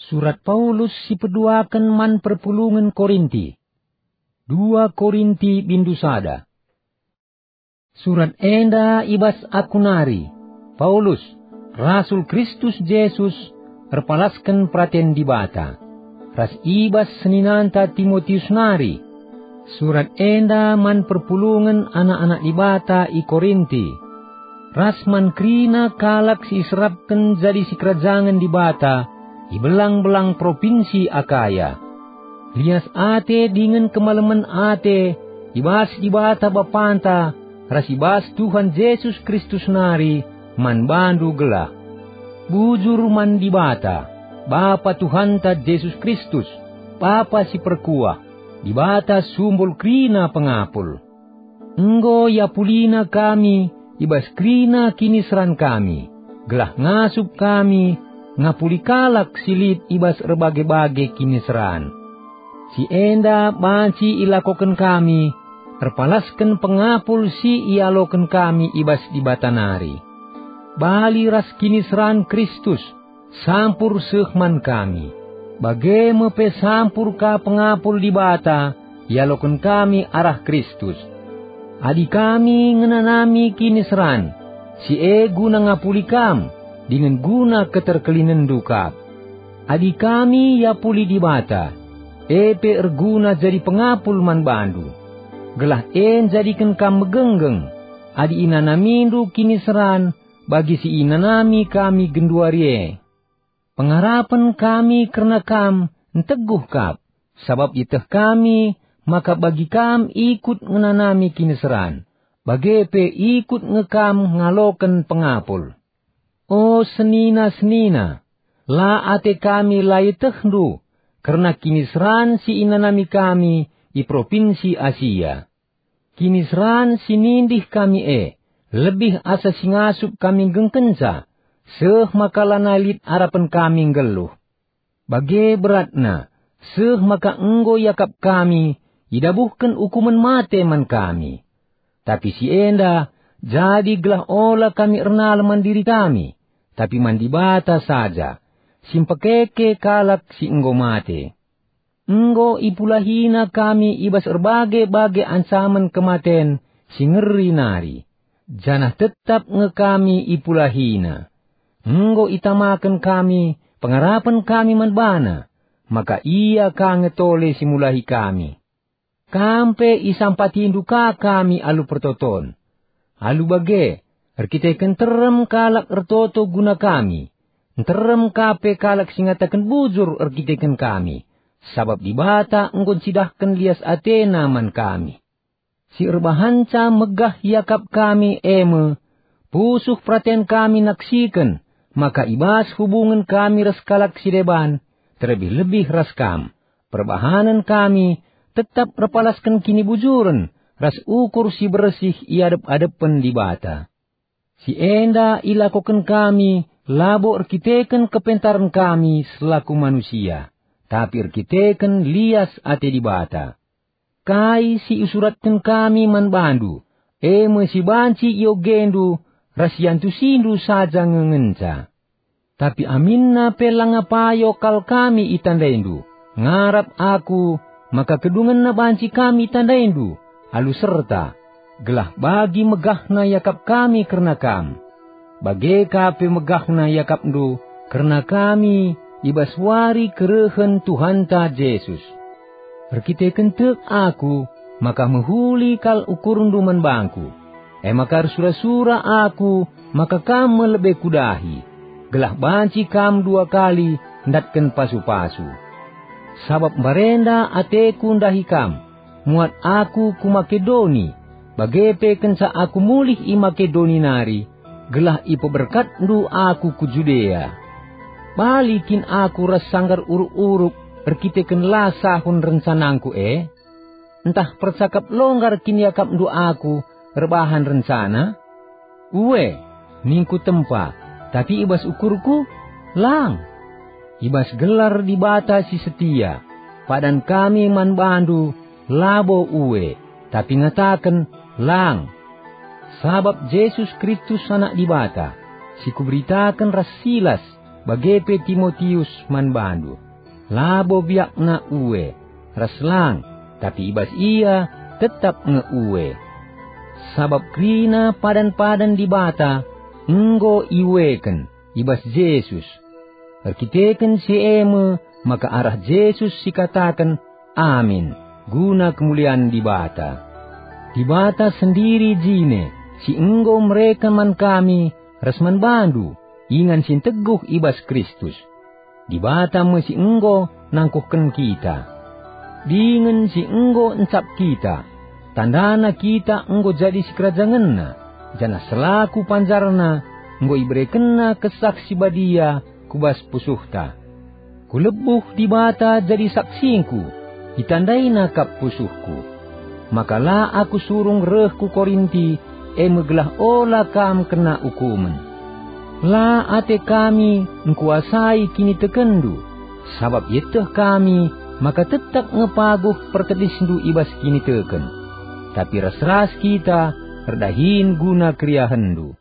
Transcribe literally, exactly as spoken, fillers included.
Surat Paulus si peduaken man perpulungen Korinti. Dua Korinti bindu sada. Surat enda i bas aku nari, Paulus, rasul Kristus Jesus, erpalasken peraten Dibata, ras i bas seninanta Timotius nari. Surat enda man perpulungen anak-anak Dibata i Korinti, ras man kerina kalak si iserapken jadi sikerajangen Dibata i belang-belang propinsi Akaya. Lias ate dingen kemalemen ate i bas Dibata Bapanta ras i bas Tuhan Jesus Kristus nari man bandu gelah. Bujur man Dibata, Bapa Tuhanta Jesus Kristus, Bapa si perkuah, Dibata sumbul kerina pengapul. Enggo iapulina kami i bas kerina kiniseran kami, gelah ngasup kami ngapuli kalak si lit i bas erbage-bage kiniseran. Si enda banci ilakoken kami, erpalasken pengapul si ialoken kami i bas Dibata nari. Bali ras kiniseran Kristus, sampur seh man kami. Bage me pe sampur ka pengapul Dibata ialoken kami arah Kristus. Adi kami ngenanami kiniseran, si e guna ngapuli kam, dingen guna keterkelinenndu kap. Adi kami iapuli Dibata, e pe erguna jadi pengapul man bandu, gelah e njadiken kam megenggeng, adi inanamindu kiniseran bagi si inanami kami genduari e. Pengarapen kami kerna kam nteguh kap, sabap ieteh kami maka bagi kam ikut ngenanami kiniseran, bage pe ikut nge kam ngaloken pengapul. O senina-senina, la ate kami la ietehndu kerna kiniseran si inanami kami i propinsi Asia. Kiniseran si nindih kami e lebih asa si ngasup kami nggengkenca, seh maka lanai lit arapen kami nggeluh. Bage beratna, seh maka enggo iakap kami idabuhken ukumen mate man kami. Tapi si enda jadi gelah ola kami ernalem man diri kami, tapi man Dibata saja, si mpekeke kalak si enggo mate. Enggo ipulahina kami i bas erbage-bage ancamen kematen si ngeri nari, janah tetap nge kami ipulahina. Enggo itamaken kami pengarapen kami man baNa, maka Ia ka nge tole si mulahi kami. Kam pe isampatindu ka kami alu pertoton. Alu bage, erkiteken nterem kalak ertoto guna kami, nterem ka pe kalak si ngataken bujur erkiteken kami, sabap Dibata enggo ncidahken lias ateNa man kami. Si erbahanca megah iakap kami e me, pusuh peraten kami naksiken maka i bas hubungen kami ras kalak si deban, terlebih-lebih ras kam, perbahanen kami tetap erpalasken kinibujuren ras ukur si bersih i adep-adepen Dibata. Si enda ilakoken kami labo erkiteken kepentaren kami selaku manusia, tapi erkiteken lias ate Dibata. Kai si isuratken kami man bandu, e me si banci iogendu ras iantusindu saja nge ngenca. Tapi aminna pe langa payo kal kami itandaindu, ngarap aku maka kedungenna banci kami itandaindu alu serta, gelah bagi megahna iakap kami kerna kam. Bage ka pe megahna iakapndu kerna kami i bas wari kerehen Tuhanta Jesus. Erkiteken tek aku maka mehuli kal ukurndu man bangku, e maka ersura-sura aku maka kam me lebe kudahi, gelah banci kam dua kali ndatken pasu-pasu. Sabap mbarenda ateku ndahi kam, muat aku ku Makedoni, bage pe kenca aku mulih i Makedoni nari, gelah ipeberkatndu aku ku Judea. Bali kin aku ras sanggar uruk-uruk erkiteken la sahun rencanangku e? Ntah percakap longgar kin iakapndu aku erbahan rencana? Ue, ningku tempa, tapi i bas ukurku? Lang! I bas gelar Dibata si setia, padan kami man bandu labo ue, tapi ngataken, lang! Sabap Jesus Kristus Anak Dibata, si kuberitaken ras Silas, bage pe Timotius man bandu. Labo biakna ue, ras lang, tapi i bas ia tetap nge ue. Sabap kerina padan-padan Dibata enggo iueken i bas Jesus. Erkiteken si e me maka arah Jesus sikataken "Amin" guna kemulian Dibata. Dibata sendiri jine si enggo mereken man kami ras man bandu ingan si nteguh i bas Kristus. Dibata me si enggo nangkuhken kita. Dingen si enggo encap kita, tandana kita enggo jadi sikerajangenNa, janah selaku panjarNa enggo iberekenNa Kesah Si Badia ku bas pusuhta. Kulebuh Dibata jadi saksingku, itandaina kap pusuhku. Maka la aku surung reh ku Korinti, e me gelah ola kam kena ukumen. La ate kami engkuasai kinitekenndu, sabap ieteh kami maka tetap nge paguh pertedisndu i bas kiniteken. Tapi ras-ras kita erdahin guna keriahenndu.